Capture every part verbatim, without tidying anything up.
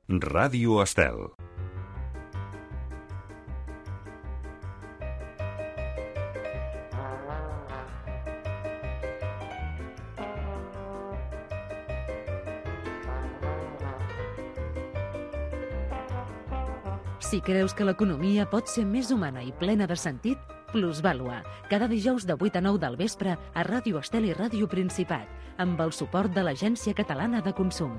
Ràdio Estel. Si creus que l'economia pot ser més humana i plena de sentit, Plusvàlua, cada dijous de vuit a nou del vespre a Ràdio Estel i Ràdio Principat, amb el suport de l'Agència Catalana de Consum.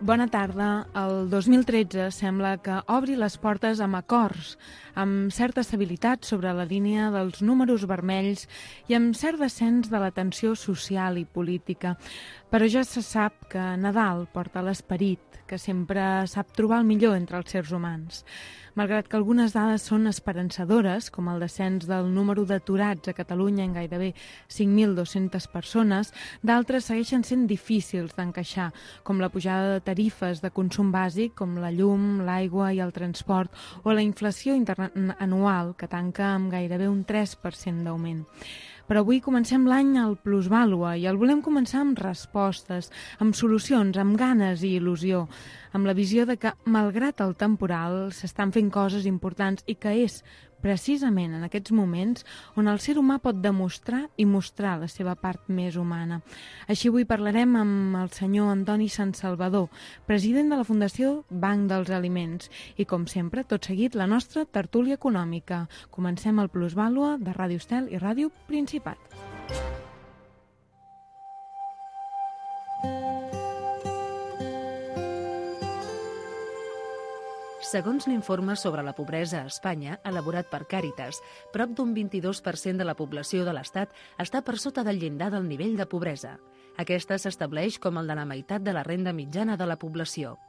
Bona tarda. El dos mil tretze sembla que obri les portes amb acords, amb certa estabilitat sobre la línia dels números vermells i amb cert descens de la tensió social i política. Però ja se sap que Nadal porta l'esperit, que sempre sap trobar el millor entre els éssers humans. Malgrat que algunes dades són esperançadores, com el descens del número d'aturats a Catalunya en gairebé cinc mil dues-centes persones, d'altres segueixen sent difícils d'encaixar, com la pujada de tarifes de consum bàsic, com la llum, l'aigua i el transport, o la inflació anual, que tanca amb gairebé un tres per cent d'augment. Però avui comencem l'any al Plusvàlua i el volem començar amb respostes, amb solucions, amb ganes i il·lusió, amb la visió de que, malgrat el temporal, s'estan fent coses importants i que és precisament en aquests moments on el ser humà pot demostrar i mostrar la seva part més humana. Així avui parlarem amb el senyor Antoni Santsalvador, president de la Fundació Banc dels Aliments. I com sempre, tot seguit, la nostra tertúlia econòmica. Comencem el Plusvàlua de Ràdio Estel i Ràdio Principat. Segons l'informe sobre la pobresa a Espanya, elaborat per Càritas, prop d'un vint-i-dos per cent de la població de l'Estat està per sota del llindar del nivell de pobresa. Aquesta s'estableix com el de la meitat de la renda mitjana de la població.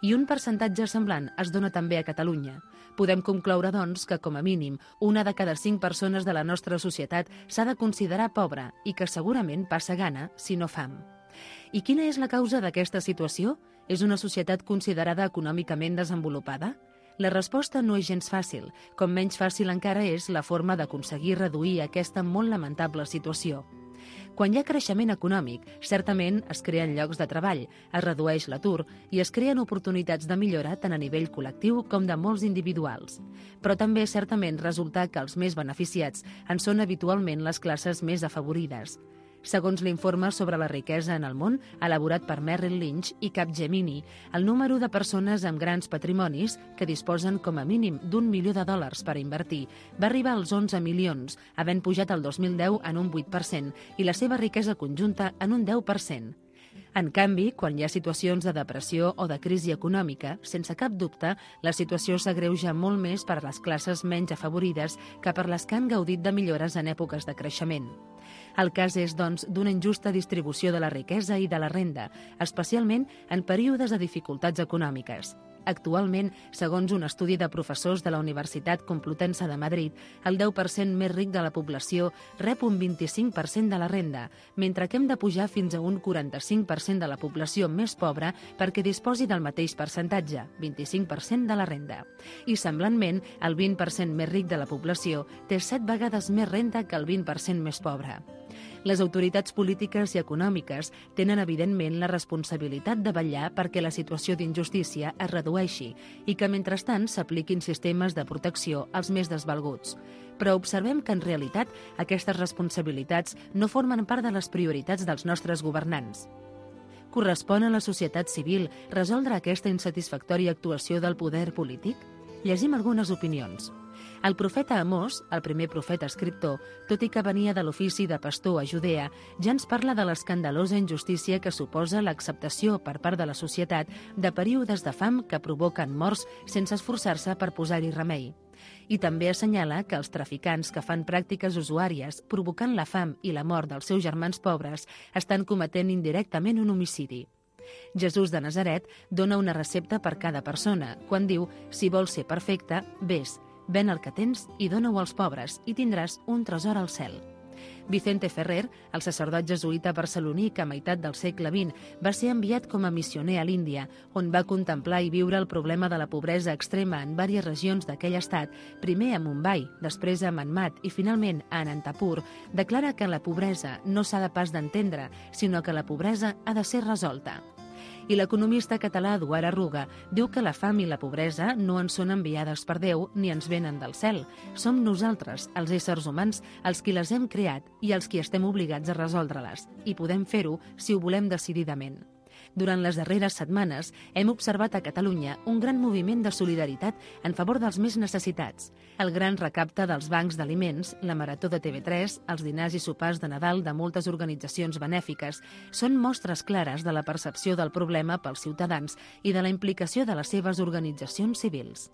I un percentatge semblant es dona també a Catalunya. Podem concloure, doncs, que, com a mínim, una de cada cinc persones de la nostra societat s'ha de considerar pobra i que segurament passa gana, si no fam. I quina és la causa d'aquesta situació? És una societat considerada econòmicament desenvolupada? La resposta no és gens fàcil, com menys fàcil encara és la forma d'aconseguir reduir aquesta molt lamentable situació. Quan hi ha creixement econòmic, certament es creen llocs de treball, es redueix l'atur i es creen oportunitats de millora tant a nivell col·lectiu com de molts individuals. Però també certament resulta que els més beneficiats en són habitualment les classes més afavorides. Segons l'informe sobre la riquesa en el món, elaborat per Merrill Lynch i Capgemini, el número de persones amb grans patrimonis, que disposen com a mínim d'un milió de dòlars per invertir, va arribar als onze milions, havent pujat el dos mil deu en un vuit per cent i la seva riquesa conjunta en un deu per cent. En canvi, quan hi ha situacions de depressió o de crisi econòmica, sense cap dubte, la situació s'agreuja molt més per a les classes menys afavorides que per les que han gaudit de millores en èpoques de creixement. El cas és, doncs, d'una injusta distribució de la riquesa i de la renda, especialment en períodes de dificultats econòmiques. Actualment, segons un estudi de professors de la Universitat Complutense de Madrid, el deu per cent més ric de la població rep un vint-i-cinc per cent de la renda, mentre que hem de pujar fins a un quaranta-cinc per cent de la població més pobra perquè disposi del mateix percentatge, vint-i-cinc per cent de la renda. I, semblantment, el vint per cent més ric de la població té set vegades més renda que el vint per cent més pobre. Les autoritats polítiques i econòmiques tenen, evidentment, la responsabilitat de vetllar perquè la situació d'injustícia es redueixi i que, mentrestant, s'apliquin sistemes de protecció als més desvalguts. Però observem que, en realitat, aquestes responsabilitats no formen part de les prioritats dels nostres governants. Correspon a la societat civil resoldre aquesta insatisfactòria actuació del poder polític? Llegim algunes opinions. El profeta Amós, el primer profeta escriptor, tot i que venia de l'ofici de pastor a Judea, ja ens parla de l'escandalosa injustícia que suposa l'acceptació per part de la societat de períodes de fam que provoquen morts sense esforçar-se per posar-hi remei. I també assenyala que els traficants que fan pràctiques usuàries provocant la fam i la mort dels seus germans pobres estan cometent indirectament un homicidi. Jesús de Nazaret dona una recepta per cada persona, quan diu, si vols ser perfecte, vés, ven el que tens i dona-ho als pobres i tindràs un tresor al cel. Vicente Ferrer, el sacerdot jesuïta barceloní que a meitat del segle vint va ser enviat com a missioner a l'Índia, on va contemplar i viure el problema de la pobresa extrema en diverses regions d'aquell estat, primer a Mumbai, després a Manmat i finalment a Anantapur, declara que la pobresa no s'ha de pas d'entendre, sinó que la pobresa ha de ser resolta. I l'economista català Eduard Arruga diu que la fam i la pobresa no ens són enviades per Déu ni ens venen del cel. Som nosaltres, els éssers humans, els qui les hem creat i els qui estem obligats a resoldre-les. I podem fer-ho si ho volem decididament. Durant les darreres setmanes hem observat a Catalunya un gran moviment de solidaritat en favor dels més necessitats. El gran recapte dels bancs d'aliments, la marató de T V tres, els dinars i sopars de Nadal de moltes organitzacions benèfiques són mostres clares de la percepció del problema pels ciutadans i de la implicació de les seves organitzacions civils.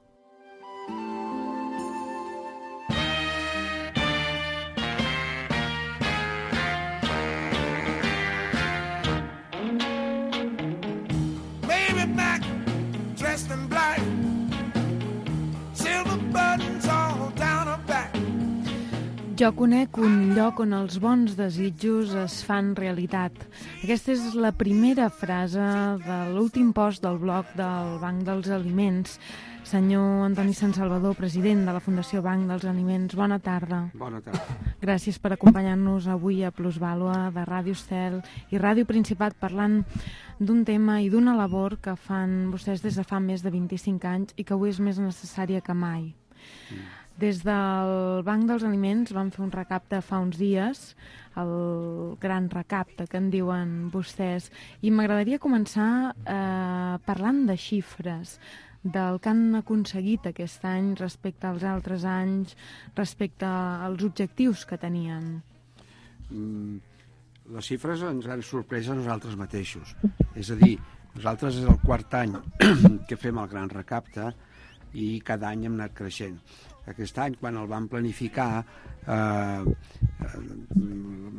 Jo conec un lloc on els bons desitjos es fan realitat. Aquesta és la primera frase de l'últim post del blog del Banc dels Aliments. Senyor Antoni Sant Salvador, president de la Fundació Banc dels Aliments, bona tarda. Bona tarda. Gràcies per acompanyar-nos avui a Plusvàlua de Ràdio Estel i Ràdio Principat parlant d'un tema i d'una labor que fan vostès des de fa més de vint-i-cinc anys i que avui és més necessària que mai. Mm. Des del Banc dels Aliments vam fer un recapte fa uns dies, el gran recapte que en diuen vostès, i m'agradaria començar eh, parlant de xifres, del que han aconseguit aquest any respecte als altres anys, respecte als objectius que tenien. Mm, les xifres ens han sorprès a nosaltres mateixos. És a dir, nosaltres és el quart any que fem el gran recapte i cada any hem anat creixent. Aquest any, quan el vam planificar, eh,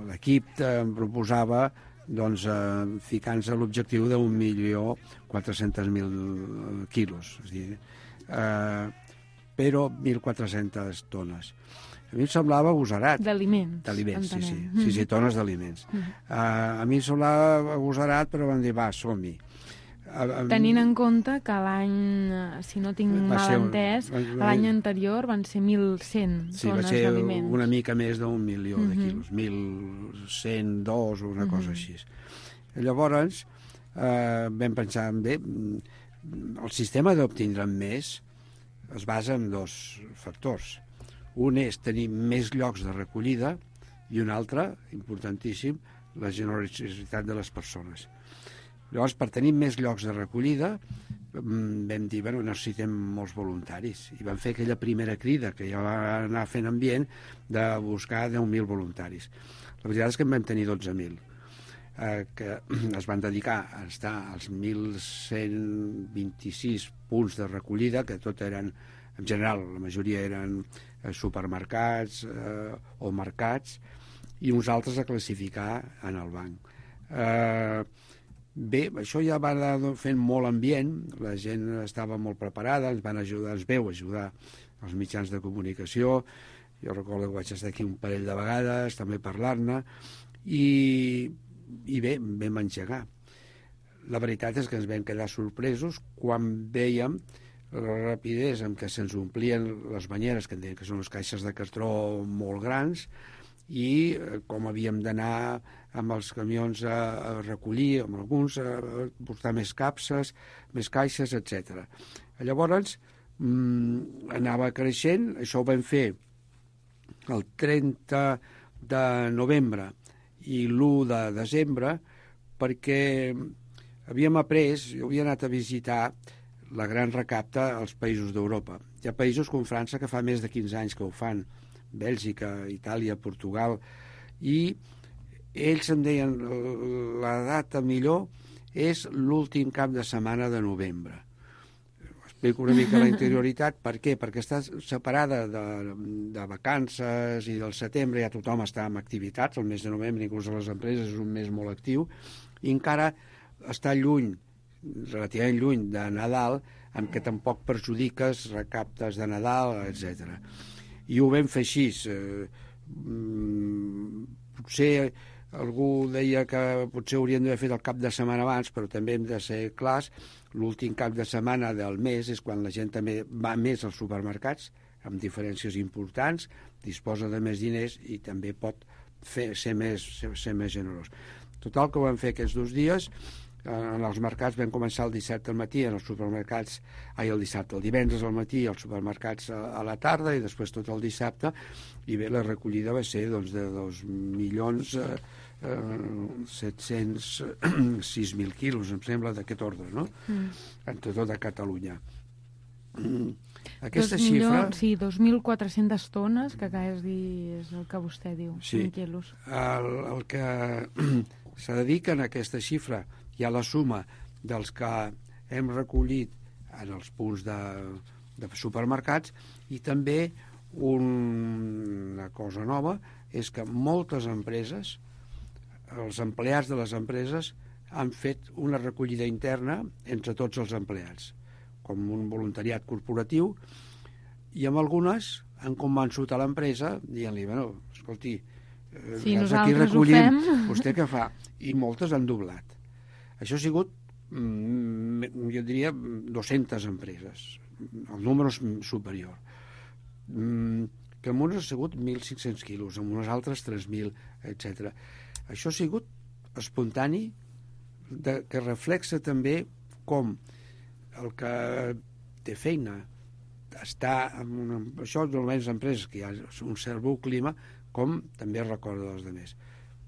l'equip em proposava doncs, eh, ficant-se l'objectiu d'un milió quatre-cents mil quilos, és a dir, eh, però mil quatre-centes tones. A mi em semblava agosarat. D'aliments. D'aliments, sí, sí, sí, sí, tones d'aliments. Mm. Uh, a mi em semblava agosarat, però vam dir, va, som-hi. Tenint en compte que l'any, si no tinc mal entès, l'any anterior van ser mil cent sí, tones d'aliments. Sí, va ser d'aliments. una mica més d'un milió de quilos, mil cent dos o una cosa així. Llavors, eh, vam pensar, bé, el sistema d'obtindre més es basa en dos factors. Un és tenir més llocs de recollida i un altre, importantíssim, la generositat de les persones. Llavors, per tenir més llocs de recollida, vam dir, bueno, necessitem molts voluntaris. I vam fer aquella primera crida, que ja va anar fent ambient, de buscar deu mil voluntaris. La veritat és que en vam tenir dotze mil, eh, que es van dedicar a estar als mil cent vint-i-sis punts de recollida, que tot eren, en general, la majoria eren supermercats eh, o mercats, i uns altres a classificar en el banc. Eh, Bé, això ja va anar fent molt ambient, la gent estava molt preparada, ens van ajudar, ens veu ajudar els mitjans de comunicació, jo recordo que vaig estar aquí un parell de vegades, també parlar-ne, i, i bé, vam engegar. La veritat és que ens vam quedar sorpresos quan vèiem la rapidesa amb què se'ns omplien les banyeres, que en deien que són les caixes de cartró molt grans, i com havíem d'anar amb els camions a, a recollir, amb alguns a, a portar més capses, més caixes, etcètera. Llavors, mmm, anava creixent, això ho vam fer el trenta de novembre i l'u de desembre, perquè havíem après, jo havia anat a visitar la gran recapta als països d'Europa. Hi ha països com França que fa més de quinze anys que ho fan, Bèlgica, Itàlia, Portugal, i ells em deien la data millor és l'últim cap de setmana de novembre. Explico una mica la interioritat. Per què? Perquè està separada de, de vacances i del setembre ja tothom està en activitats, el mes de novembre inclús a les empreses és un mes molt actiu, i encara està lluny, relativament lluny de Nadal, en què tampoc perjudiques recaptes de Nadal, etcètera. I ho vam fer així. Eh, potser algú deia que potser hauríem d'haver fet el cap de setmana abans, però també hem de ser clars, l'últim cap de setmana del mes és quan la gent també va més als supermercats, amb diferències importants, disposa de més diners i també pot fer, ser, més, ser, ser més generós. Total, que ho vam fer aquests dos dies. En els mercats vam començar el dissabte al matí, en els supermercats, ai, el dissabte, el divendres al matí, als supermercats a, a la tarda i després tot el dissabte, i bé, la recollida va ser doncs, de dos milions set-cents sis mil quilos, em sembla, d'aquest ordre, no? Mm. En tot de Catalunya. Mm. Aquesta dos xifra... Milions, sí, dos mil quatre-centes tones, que acabes de dir, és el que vostè diu, sí. cinc quilos. El, el que se dedica a aquesta xifra hi ha la suma dels que hem recollit en els punts de, de supermercats i també un, una cosa nova és que moltes empreses, els empleats de les empreses han fet una recollida interna entre tots els empleats, com un voluntariat corporatiu, i amb algunes han convençut a l'empresa dient-li, bueno, escolti, si aquí recollim, vostè què fa? I moltes han doblat. Això ha sigut, jo diria, dues-centes empreses. El número és superior. Que en unes ha sigut mil cinc-cents quilos, en unes altres tres mil, etcètera. Això ha sigut espontani, de, que reflexa també com el que té feina està en una, això normalment les empreses que hi ha un cert bon clima, com també recorda dels altres.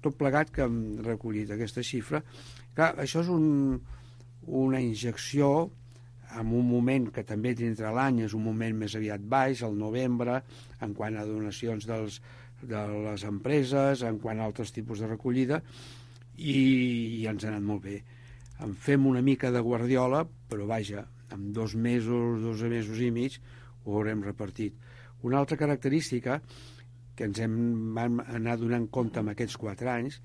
Tot plegat que hem recollit aquesta xifra. Clar, això és un, una injecció en un moment que també dintre l'any és un moment més aviat baix, al novembre, en quant a donacions dels, de les empreses, en quant a altres tipus de recollida, i, i ens ha anat molt bé. En fem una mica de guardiola, però vaja, en dos mesos, dos mesos i mig, ho haurem repartit. Una altra característica que ens hem vam anar donant compte en aquests quatre anys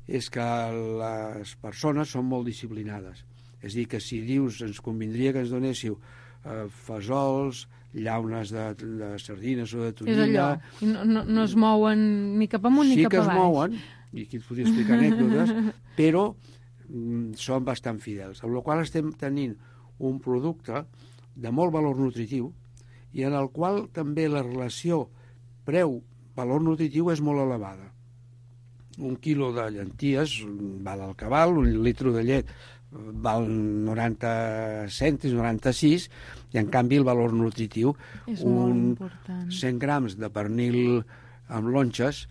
és que les persones són molt disciplinades. És a dir, que si dius ens convindria que ens donéssiu eh, fesols, llaunes de, de sardines o de tonyina... És allò, no, no, no es mouen ni cap amunt sí ni cap avall. Sí que es mouen, i aquí et podria explicar anècdotes, però mm, són bastant fidels, amb la qual estem tenint un producte de molt valor nutritiu i en el qual també la relació preu-valor nutritiu és molt elevada. Un quilo de llenties val el que val, un litre de llet val noranta cèntims, noranta-sis, i en canvi el valor nutritiu, és un cent grams de pernil amb lonxes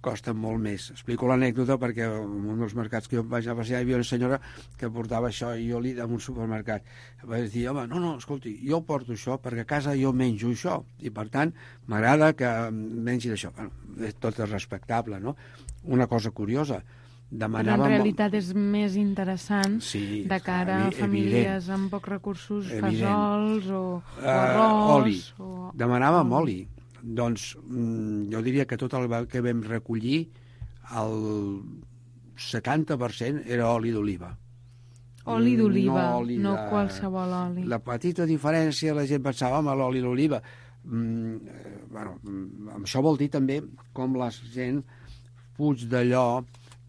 costen molt més. Explico l'anècdota perquè en un dels mercats que jo vaig a passejar hi havia una senyora que portava això i jo li en un supermercat. Vaig dir, home, no, no, escolti, jo porto això perquè a casa jo menjo això i per tant m'agrada que mengi d'això. Bueno, tot és respectable, no? Una cosa curiosa, demanava... Però en realitat és més interessant sí, de cara a famílies evident. Amb pocs recursos, evident. Fesols o, o arròs... Uh, oli. O... Demanàvem oli. Doncs jo diria que tot el que vam recollir, el setanta per cent era oli d'oliva. Oli d'oliva, no, oli no de... qualsevol oli. La petita diferència, la gent pensava, home, l'oli d'oliva. Mm, bueno, això vol dir també com la gent fuig d'allò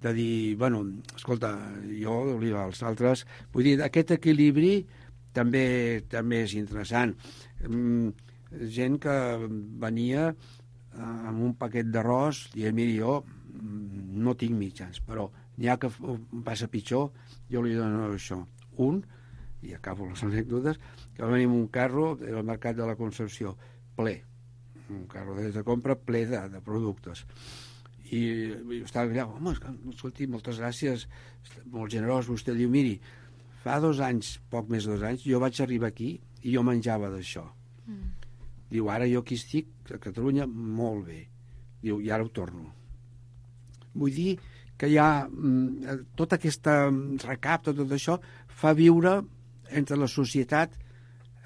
de dir, bueno, escolta, jo d'oliva, els altres... Vull dir, aquest equilibri també també és interessant. Mm, gent que venia amb un paquet d'arròs i miri, jo no tinc mitjans, però n'hi ha que passa pitjor, jo li dono això. Un, i acabo les anècdotes, que va venir amb un carro del mercat de la Concepció, ple, un carro de compra ple de, de productes. I, i estava allà, home, escolti, moltes gràcies, molt generós, vostè diu, miri, fa dos anys, poc més de dos anys, jo vaig arribar aquí i jo menjava d'això. Mm. Diu, ara jo aquí estic, a Catalunya, molt bé. Diu, i ara ho torno. Vull dir que hi ha mm, tota aquesta recapta, tot això, fa viure entre la societat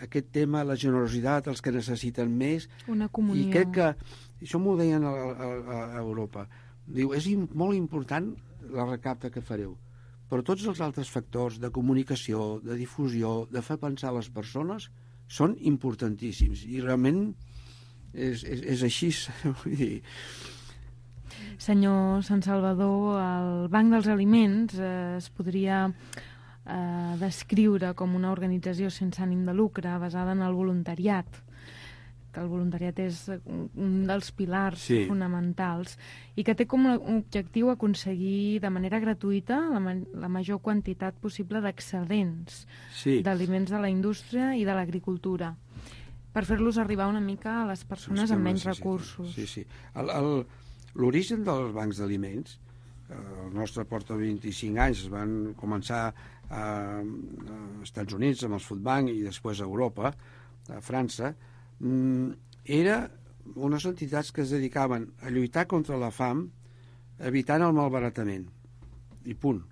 aquest tema, la generositat, els que necessiten més. Una comunió. I crec que, això m'ho deien a, a, a Europa, diu, és molt important la recapta que fareu, però tots els altres factors de comunicació, de difusió, de fer pensar les persones, són importantíssims i realment és, és, és així. Vull dir... Senyor Sant Salvador, el Banc dels Aliments eh, es podria eh, descriure com una organització sense ànim de lucre basada en el voluntariat, que el voluntariat és un dels pilars sí. fonamentals i que té com a objectiu aconseguir de manera gratuïta la, ma la major quantitat possible d'excedents sí. d'aliments de la indústria i de l'agricultura, per fer-los arribar una mica a les persones amb menys recursos. Sí, sí. L'origen dels bancs d'aliments, eh, el nostre porta vint-i-cinc anys, es van començar a, a Estats Units amb els Food Bank i després a Europa, a França, mm, era unes entitats que es dedicaven a lluitar contra la fam evitant el malbaratament. I punt.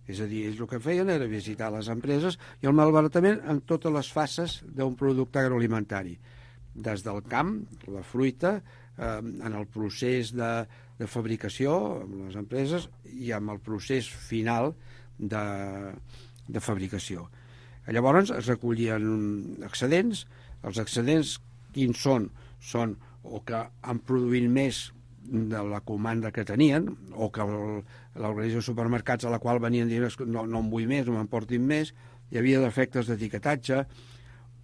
És a dir, ells el que feien era visitar les empreses i el malbaratament en totes les fases d'un producte agroalimentari. Des del camp, la fruita, eh, en el procés de, de fabricació amb les empreses i amb el procés final de, de fabricació. Llavors es recollien excedents. Els excedents quins són? Són o que han produït més de la comanda que tenien, o que l'organització de supermercats a la qual venien dient no, no en vull més, no m'emportin més, hi havia defectes d'etiquetatge,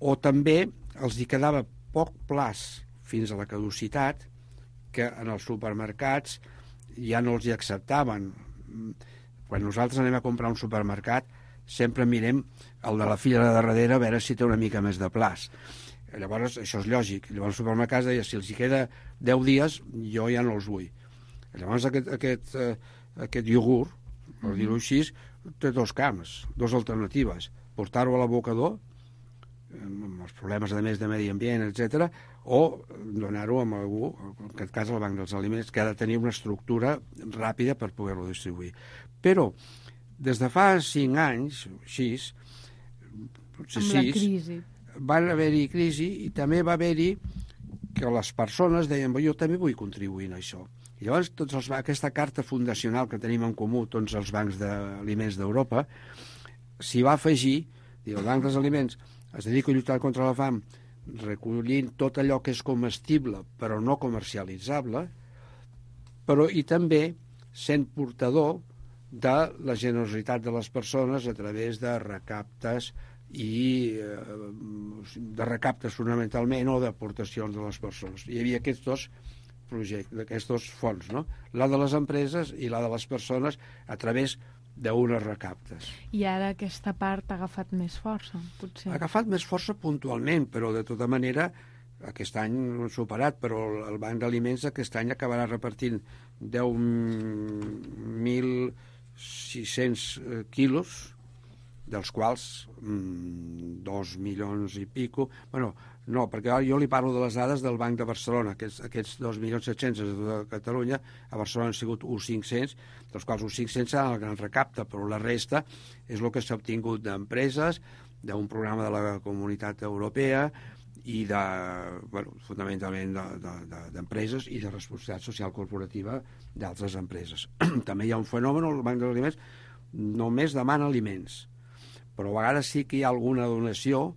o també els hi quedava poc plaç fins a la caducitat, que en els supermercats ja no els hi acceptaven. Quan nosaltres anem a comprar un supermercat, sempre mirem el de la fila de darrere a veure si té una mica més de plaç. Llavors, això és lògic. Llavors el supermercat deia, si els hi queda deu dies, jo ja no els vull. Llavors aquest, aquest, eh, aquest iogurt, per dir-ho així, té dos camps, dues alternatives. Portar-ho a l'abocador, amb els problemes de més de medi ambient, etcètera, o donar-ho a algú, en aquest cas al Banc dels Aliments, que ha de tenir una estructura ràpida per poder-lo distribuir. Però, des de fa cinc anys, sis, potser amb sis, la crisi, van haver-hi crisi i també va haver-hi que les persones deien jo també vull contribuir en això. I llavors tots els, aquesta carta fundacional que tenim en comú tots els bancs d'aliments d'Europa s'hi va afegir, el Banc dels Aliments es dedica a lluitar contra la fam recollint tot allò que és comestible però no comercialitzable, però i també sent portador de la generositat de les persones a través de recaptes i eh, de recaptes fonamentalment o d'aportacions de les persones. Hi havia aquests dos projectes, aquests dos fons, no? La de les empreses i la de les persones a través d'unes recaptes. I ara aquesta part ha agafat més força, potser? Ha agafat més força puntualment, però de tota manera aquest any no han superat, però el Banc d'Aliments aquest any acabarà repartint deu mil sis-cents quilos, dels quals mmm, dos milions i pico, bueno, no, perquè jo li parlo de les dades del Banc de Barcelona, aquests, aquests dos milions set-cents de Catalunya, a Barcelona han sigut uns cinc-cents, dels quals uns cinc-cents seran el gran recapte, però la resta és el que s'ha obtingut d'empreses, d'un programa de la Comunitat Europea i de, bueno, fonamentalment d'empreses de, de, i de responsabilitat social corporativa d'altres empreses. També hi ha un fenomen, el Banc dels Aliments només demana aliments, però a vegades sí que hi ha alguna donació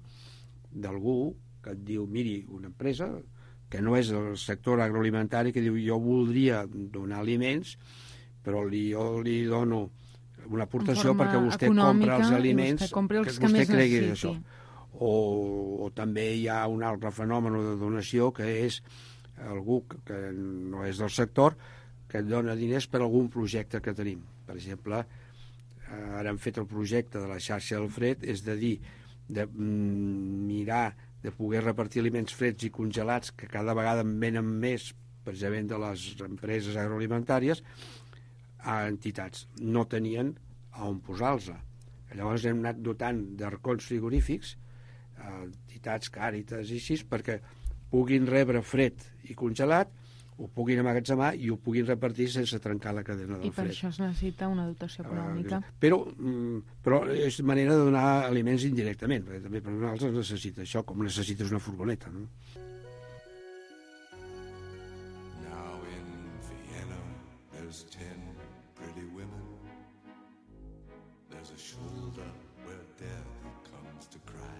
d'algú que et diu, miri, una empresa que no és el sector agroalimentari, que diu, jo voldria donar aliments, però li, jo li dono una aportació perquè vostè compra els aliments vostè compri els que, que vostè més cregui necessiti. això. O, o també hi ha un altre fenomen de donació que és algú que no és del sector que et dona diners per algun projecte que tenim. Per exemple, ara hem fet el projecte de la xarxa del fred, és de dir, de mm, mirar de poder repartir aliments freds i congelats que cada vegada en venen més precisament de les empreses agroalimentàries a entitats. No tenien on posar-los. Llavors hem anat dotant d'arcons frigorífics a entitats, Càritas i així, perquè puguin rebre fred i congelat, ho puguin emmagatzemar i ho puguin repartir sense trencar la cadena del fred. I per això es necessita una dotació econòmica. Uh, però, però és manera de donar aliments indirectament, perquè també per nosaltres necessita això, com necessites una furgoneta, no? Now in Vienna there's ten pretty women. There's a shoulder where death comes to cry.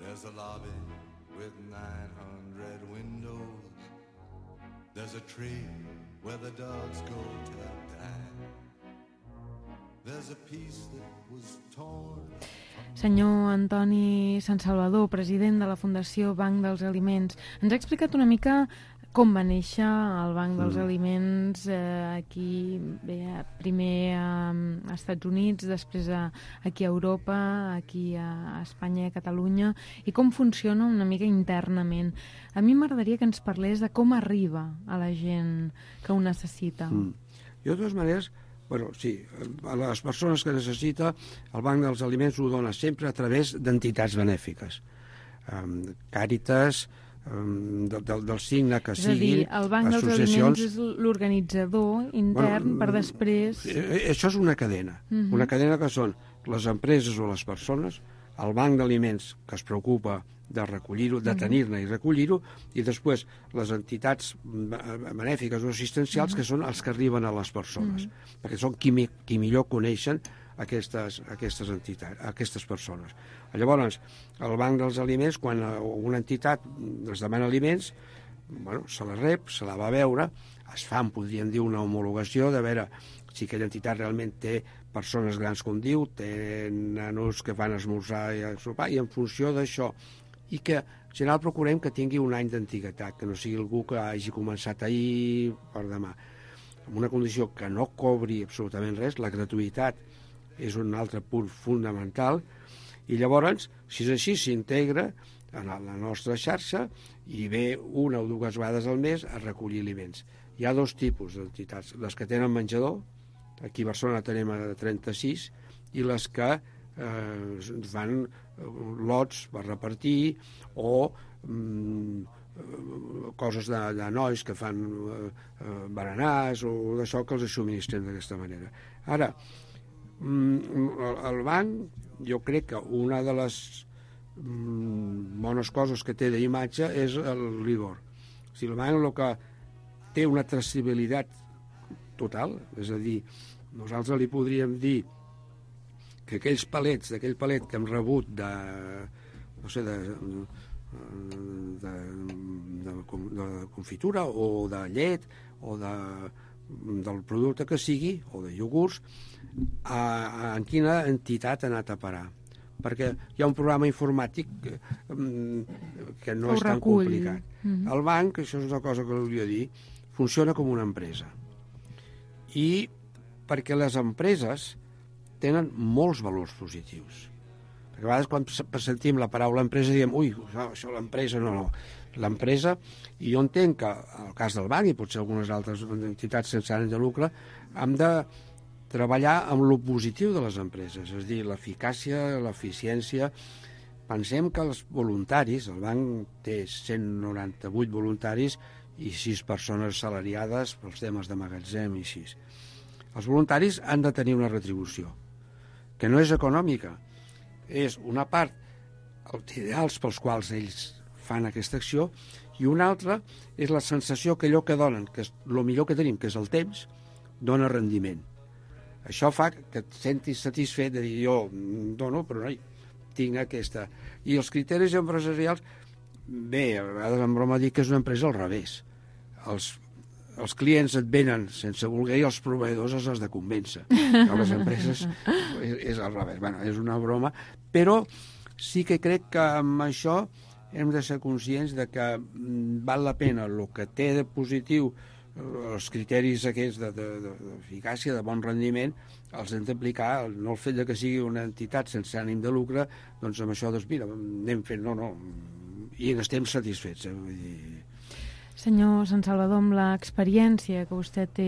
There's a lobby with nine hundred windows. There's a tree where the dogs go to die. There's a piece that was torn. Senyor Antoni Sant Salvador, president de la Fundació Banc dels Aliments, ens ha explicat una mica com va néixer el Banc dels mm. Aliments eh, aquí, bé, primer a, a Estats Units, després a, aquí a Europa, aquí a Espanya i a Catalunya, i com funciona una mica internament. A mi m'agradaria que ens parlés de com arriba a la gent que ho necessita. Mm. Jo, de totes maneres, bueno, sí, a les persones que necessita, el Banc dels Aliments ho dona sempre a través d'entitats benèfiques. Um, Càritas, um, del, del, del signe que siguin, associacions... És a dir, el Banc dels Aliments és l'organitzador intern bueno, per després... Això és una cadena. Uh-huh. Una cadena que són les empreses o les persones, el Banc d'Aliments, que es preocupa de recollir-ho, de tenir-ne i recollir-ho, i després les entitats benèfiques o assistencials, uh-huh. que són els que arriben a les persones, uh-huh. perquè són qui, mi, qui millor coneixen aquestes, aquestes entitats, aquestes persones. Llavors, el Banc dels Aliments, quan una entitat es demana aliments, bueno, se la rep, se la va veure, es fa, podríem dir, una homologació de veure si aquella entitat realment té persones grans, com diu, té nanos que van a esmorzar i a sopar, i en funció d'això, i que en general procurem que tingui un any d'antiguitat, que no sigui algú que hagi començat ahir per demà. En una condició que no cobri absolutament res, la gratuïtat és un altre punt fonamental, i llavors, si és així, s'integra en la nostra xarxa i ve una o dues vegades al mes a recollir aliments. Hi ha dos tipus d'entitats, les que tenen menjador, aquí a Barcelona tenim a trenta-sis, i les que eh, fan lots per repartir o mm, coses de, de nois que fan eh, berenars o d'això que els subministren d'aquesta manera. Ara, mm, el banc, jo crec que una de les mm, bones coses que té d'imatge és el rigor. O sigui, el banc el que té una traçabilitat total, és a dir, nosaltres li podríem dir que aquells palets, d'aquell palet que hem rebut de, no sé, de, de, de, de confitura o de llet o de, del producte que sigui, o de iogurts, a, a, en quina entitat ha anat a parar. Perquè hi ha un programa informàtic que, que no és tan complicat. Mm-hmm. El banc, això és una cosa que volia dir, funciona com una empresa. I perquè les empreses tenen molts valors positius. Perquè a vegades quan sentim la paraula empresa diem, ui, això l'empresa, no, no. L'empresa, i jo entenc que el cas del banc i potser algunes altres entitats sense ànim de lucre, hem de treballar amb lo positiu de les empreses, és a dir, l'eficàcia, l'eficiència. Pensem que els voluntaris, el banc té cent noranta-vuit voluntaris i sis persones salariades pels temes de magatzem i així. Els voluntaris han de tenir una retribució, que no és econòmica, és una part, els ideals pels quals ells fan aquesta acció, i una altra és la sensació que allò que donen, que és el millor que tenim, que és el temps, dona rendiment. Això fa que et sentis satisfet de dir, jo dono, però no, tinc aquesta. I els criteris empresarials, bé, a vegades en broma dic que és una empresa al revés. Els els clients et venen sense voler i els proveïdors els has de convèncer. A les empreses és, és al revés. Bueno, és una broma, però sí que crec que amb això hem de ser conscients de que val la pena el que té de positiu, els criteris aquests d'eficàcia, de, de, de bon rendiment, els hem d'aplicar, no el fet de que sigui una entitat sense ànim de lucre, doncs amb això, doncs mira, anem fent, no, no, i n'estem satisfets, eh? Vull dir... Senyor Sant Salvador, amb l'experiència que vostè té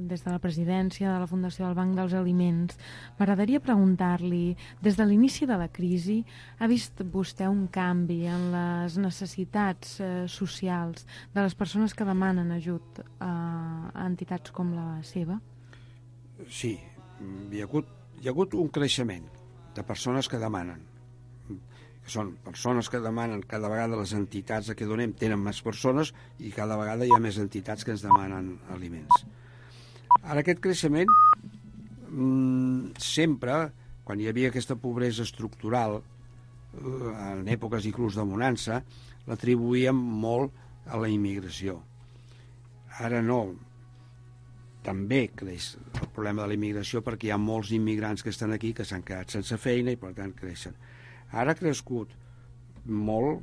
des de la presidència de la Fundació del Banc dels Aliments, m'agradaria preguntar-li, des de l'inici de la crisi, ha vist vostè un canvi en les necessitats eh, socials de les persones que demanen ajut a, a entitats com la seva? Sí, hi ha hagut, hi ha hagut un creixement de persones que demanen, que són persones que demanen, cada vegada les entitats a què donem tenen més persones i cada vegada hi ha més entitats que ens demanen aliments. Ara aquest creixement, mmm, sempre, quan hi havia aquesta pobresa estructural, eh, en èpoques inclús de bonança, l'atribuïem molt a la immigració. Ara no. també creix el problema de la immigració perquè hi ha molts immigrants que estan aquí que s'han quedat sense feina i per tant creixen. Ara ha crescut molt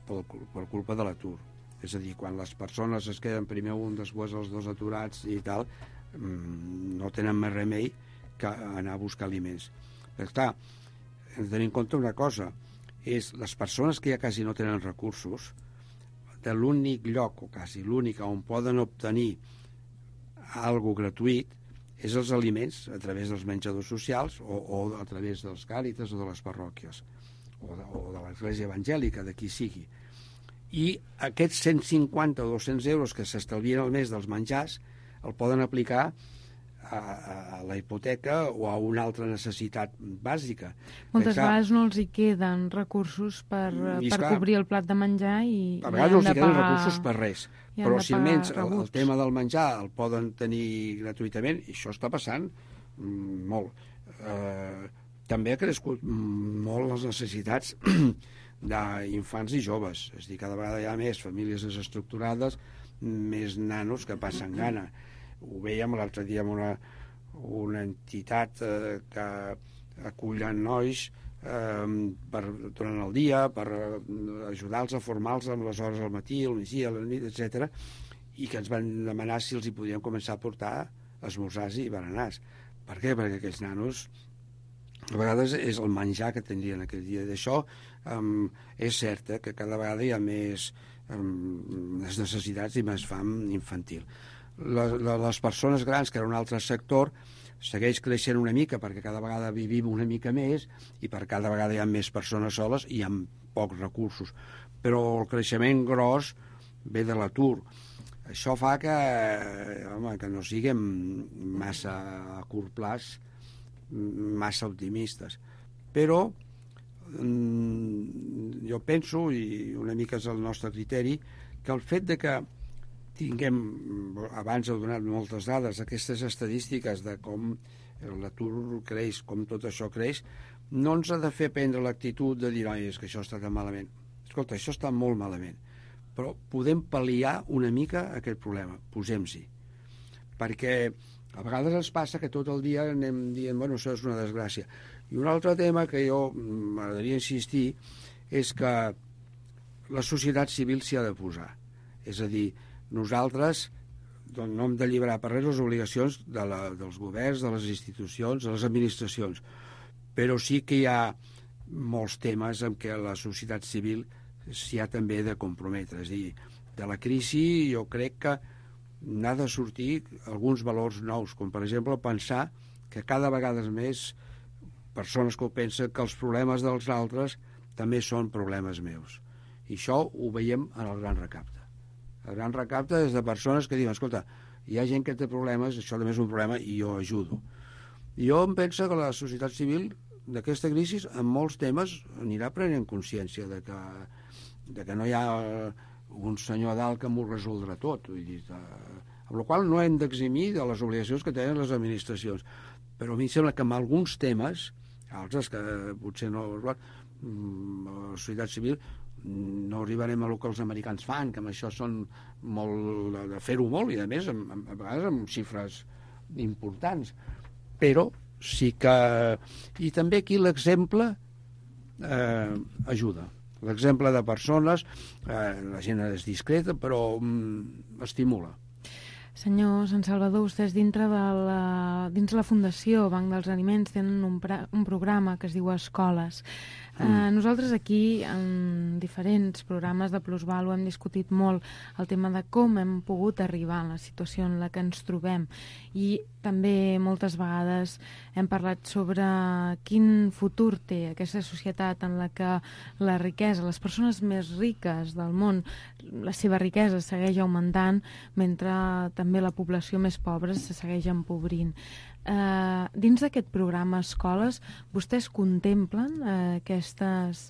per, per culpa de l'atur. És a dir, quan les persones es queden primer un, després els dos aturats i tal, no tenen més remei que anar a buscar aliments. Però clar, hem de tenir en compte una cosa, és les persones que ja quasi no tenen recursos, de l'únic lloc, o quasi l'únic, on poden obtenir algo gratuït és els aliments a través dels menjadors socials o, o a través dels càritas o de les parròquies o de, o de l'església evangèlica, de qui sigui. I aquests cent cinquanta o dos-cents euros que s'estalvien al mes dels menjars el poden aplicar a, a la hipoteca o a una altra necessitat bàsica. Moltes clar, vegades no els hi queden recursos per, per clar, cobrir el plat de menjar i, a vegades no els hi queden pagar... recursos per res, però si almenys el, el tema del menjar el poden tenir gratuïtament, i això està passant mm, molt. Eh, també ha crescut molt les necessitats d'infants i joves, és a dir, cada vegada hi ha més famílies desestructurades, més nanos que passen gana. Ho vèiem l'altre dia amb una, una entitat eh, que acullen nois eh, per, durant el dia per ajudar-los a formar-los amb les hores al matí, al migdia, a la nit, etcètera, i que ens van demanar si els hi podíem començar a portar esmorzars i berenars. Per què? Perquè aquells nanos a vegades és el menjar que tindrien aquell dia. D'això um, és cert eh, que cada vegada hi ha més um, les necessitats i més fam infantil. Les, les persones grans, que era un altre sector, segueix creixent una mica perquè cada vegada vivim una mica més i per cada vegada hi ha més persones soles i amb pocs recursos. Però el creixement gros ve de l'atur. Això fa que, home, que no siguem massa a curt plaç massa optimistes. Però mm, jo penso, i una mica és el nostre criteri, que el fet de que tinguem, abans heu donat moltes dades, aquestes estadístiques de com l'atur creix, com tot això creix, no ens ha de fer prendre l'actitud de dir, oi, és que això està tan malament. Escolta, això està molt malament, però podem pal·liar una mica aquest problema, posem-s'hi. Perquè a vegades ens passa que tot el dia anem dient, bueno, això és una desgràcia. I un altre tema que jo m'agradaria insistir és que la societat civil s'hi ha de posar. És a dir, nosaltres no hem d'alliberar per res les obligacions de la, dels governs, de les institucions, de les administracions, però sí que hi ha molts temes en què la societat civil s'hi ha també de comprometre. És a dir, de la crisi jo crec que n'ha de sortir alguns valors nous, com per exemple pensar que cada vegada més persones que ho pensen que els problemes dels altres també són problemes meus. I això ho veiem en el Gran Recapte. El Gran Recapte és de persones que diuen, escolta, hi ha gent que té problemes, això també és un problema i jo ajudo. I jo em penso que la societat civil d'aquesta crisi en molts temes anirà prenent consciència de que, de que no hi ha un senyor dalt que m'ho resoldrà tot. Vull dir, amb la qual no hem d'eximir de les obligacions que tenen les administracions. Però a mi em sembla que en alguns temes, altres que potser no, la societat civil no arribarem a el que els americans fan, que amb això són molt de fer-ho molt i a més amb, amb, a vegades amb xifres importants, però sí que i també aquí l'exemple eh, ajuda, l'exemple de persones, eh, la gent és discreta però mm, estimula. Senyor Sant Salvador, vostès dintre de la, dins la Fundació Banc dels Aliments tenen un, pra, un programa que es diu Escoles. Mm. Eh, nosaltres aquí, en diferents programes de Plusvàlua, hem discutit molt el tema de com hem pogut arribar a la situació en la que ens trobem i també moltes vegades hem parlat sobre quin futur té aquesta societat en la que la riquesa, les persones més riques del món, la seva riquesa segueix augmentant mentre també la població més pobra se segueix empobrint. Eh, dins d'aquest programa Escoles, vostès contemplen eh, aquestes,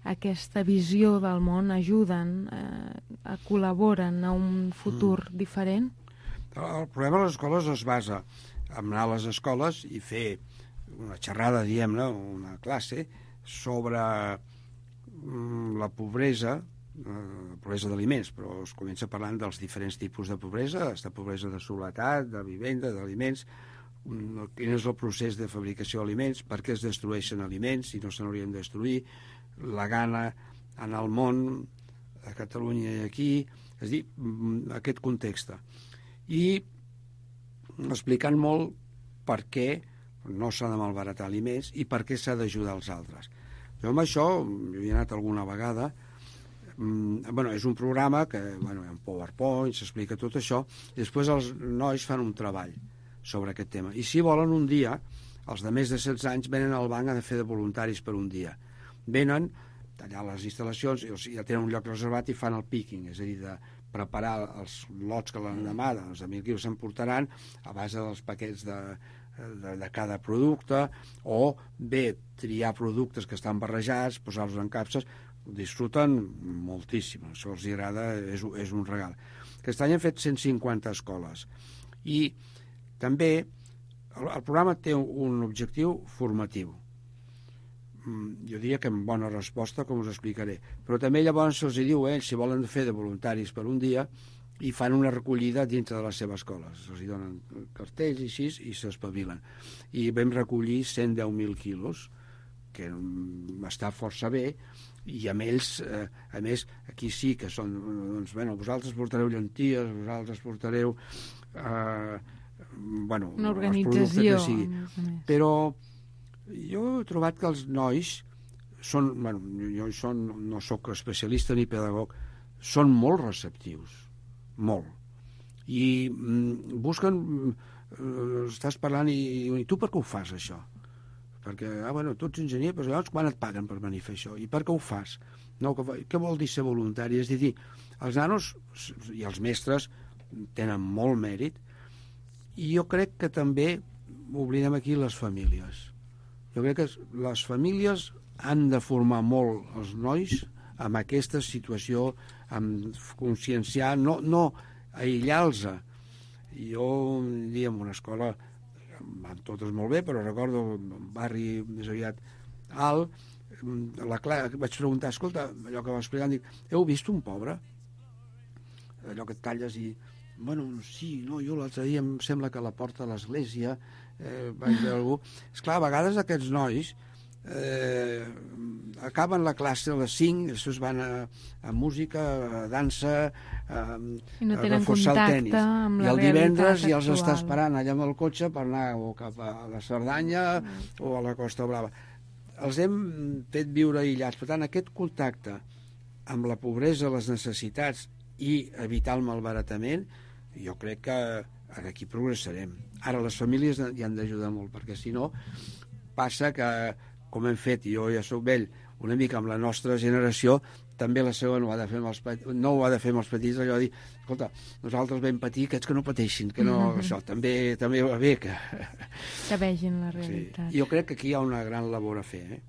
aquesta visió del món, ajuden, eh, col·laboren a un futur mm. diferent? El problema de les escoles es basa en anar a les escoles i fer una xerrada, diguem-ne, una classe sobre mm, la pobresa eh, pobresa d'aliments, però es comença parlant dels diferents tipus de pobresa, de pobresa de soledat, de vivenda, d'aliments, quin és el procés de fabricació d'aliments, per què es destrueixen aliments si no se n'haurien de destruir, la gana en el món, a Catalunya i aquí, és a dir, aquest context. I explicant molt per què no s'ha de malbaratar aliments i per què s'ha d'ajudar els altres. Jo amb això, jo hi he anat alguna vegada, mm, bueno, és un programa que, bueno, hi ha un PowerPoint, s'explica tot això, i després els nois fan un treball sobre aquest tema. I si volen un dia, els de més de setze anys venen al banc a fer de voluntaris per un dia. Venen, tallar les instal·lacions, o sigui, ja tenen un lloc reservat i fan el picking, és a dir, de preparar els lots que l'endemà, doncs de mil quilos s'emportaran a base dels paquets de, de, de cada producte, o bé triar productes que estan barrejats, posar-los en capses, ho disfruten moltíssim, això els agrada, és, és un regal. Aquest any hem fet cent cinquanta escoles i també el, el programa té un objectiu formatiu. Jo diria que amb bona resposta, com us explicaré. Però també llavors se'ls diu, eh, si volen fer de voluntaris per un dia, i fan una recollida dintre de la seva escola. Se'ls donen cartells i així, i s'espavilen. I vam recollir cent deu mil quilos, que està força bé, i amb ells, eh, a més, aquí sí que són, doncs, bueno, vosaltres portareu llenties, vosaltres portareu, eh, bueno, una organització. Que sigui. Però jo he trobat que els nois són, bueno, jo són, no sóc especialista ni pedagog, són molt receptius, molt. I mm, busquen, eh, estàs parlant i, i tu per què ho fas, això? Perquè, ah, bueno, tu ets enginyer, però llavors quan et paguen per venir a fer això? I per què ho fas? No, que, què vol dir ser voluntari? És a dir, els nanos i els mestres tenen molt mèrit, i jo crec que també oblidem aquí les famílies. Jo crec que les famílies han de formar molt els nois amb aquesta situació, amb conscienciar, no, no aïllar-los. Jo un dia en una escola, van totes molt bé, però recordo un barri més aviat alt, la Clara, vaig preguntar, escolta, allò que va explicant, dic, heu vist un pobre? Allò que et talles i... Bueno, sí, no, jo l'altre dia em sembla que a la porta de l'església eh, vaig veure algú. Esclar, a vegades aquests nois eh, acaben la classe a les cinc, després van a, a música, a dansa, a, no a reforçar el tenis. I el divendres ja els actual. està esperant allà amb el cotxe per anar o cap a la Cerdanya mm. o a la Costa Brava. Els hem fet viure aïllats. Per tant, aquest contacte amb la pobresa, les necessitats i evitar el malbaratament, jo crec que aquí progressarem. Ara les famílies hi han d'ajudar molt, perquè si no passa que, com hem fet, i jo ja soc vell, una mica amb la nostra generació, també la seva no, ha de fer amb els petits, no ho ha de fer amb els petits, allò de dir, escolta, nosaltres vam patir, aquests que no pateixin, que no, mm-hmm. això també també va bé que... que vegin la realitat. Sí. Jo crec que aquí hi ha una gran labor a fer, eh?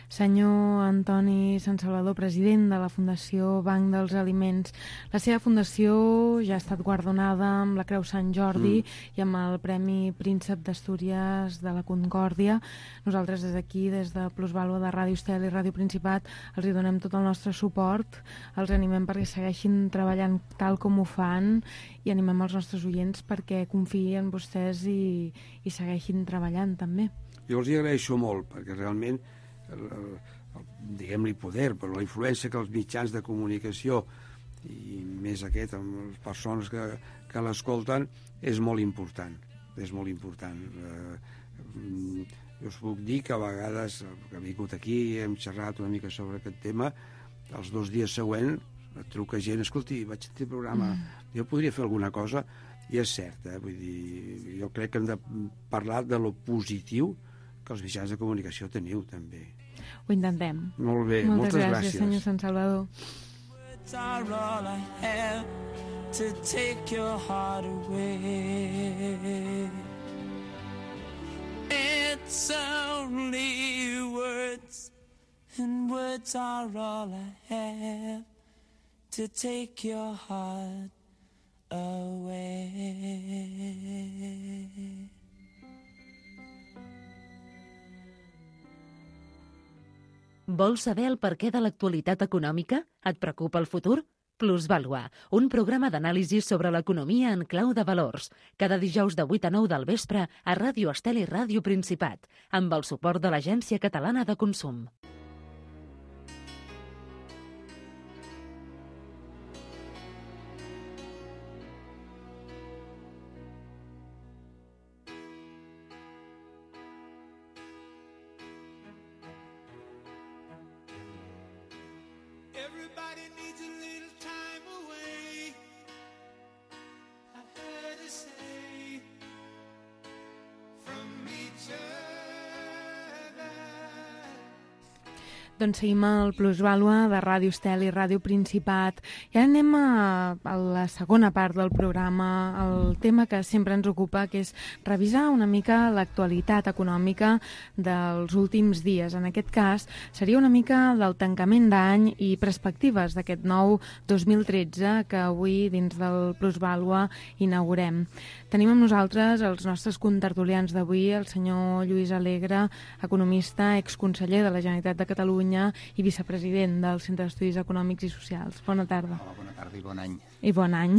Senyor Antoni Sant Salvador, president de la Fundació Banc dels Aliments, la seva fundació ja ha estat guardonada amb la Creu Sant Jordi mm. i amb el Premi Príncep d'Astúries de la Concòrdia. Nosaltres des d'aquí, des de Plusvàlua de Ràdio Estel i Ràdio Principat, els hi donem tot el nostre suport, els animem perquè segueixin treballant tal com ho fan i animem els nostres oients perquè confiïn en vostès i, i segueixin treballant també. Jo els hi agraeixo molt, perquè realment el, el, el, diguem-li poder, però la influència que els mitjans de comunicació i més aquest amb les persones que, que l'escolten és molt important, és molt important. Eh, jo us puc dir que a vegades que he vingut aquí, hem xerrat una mica sobre aquest tema, els dos dies següents et truca gent, escolti, vaig sentir el programa, mm. jo podria fer alguna cosa, i és cert, eh? Vull dir, jo crec que hem de parlar de lo positiu que els mitjans de comunicació teniu, també. Ho intentem. Molt bé, moltes, moltes gràcies. gràcies. Senyor Sant Salvador. Are all I have to take your heart away. It's only words, and words are all I have to take your heart away. Vols saber el perquè de l'actualitat econòmica? Et preocupa el futur? Plusvàlua, un programa d'anàlisi sobre l'economia en clau de valors. Cada dijous de vuit a nou del vespre a Ràdio Estel i Ràdio Principat, amb el suport de l'Agència Catalana de Consum. Everybody needs a little time away, I heard her say, from each other. Doncs seguim al Plusvàlua de Ràdio Estel i Ràdio Principat. I ara anem a, a la segona part del programa, el tema que sempre ens ocupa, que és revisar una mica l'actualitat econòmica dels últims dies. En aquest cas, seria una mica del tancament d'any i perspectives d'aquest nou dos mil tretze que avui, dins del Plusvàlua, inaugurem. Tenim amb nosaltres els nostres contertulians d'avui, el senyor Lluís Alegre, economista, exconseller de la Generalitat de Catalunya i vicepresident del Centre d'Estudis Econòmics i Socials. Bona tarda. Hola, bona tarda i bon any. I bon any.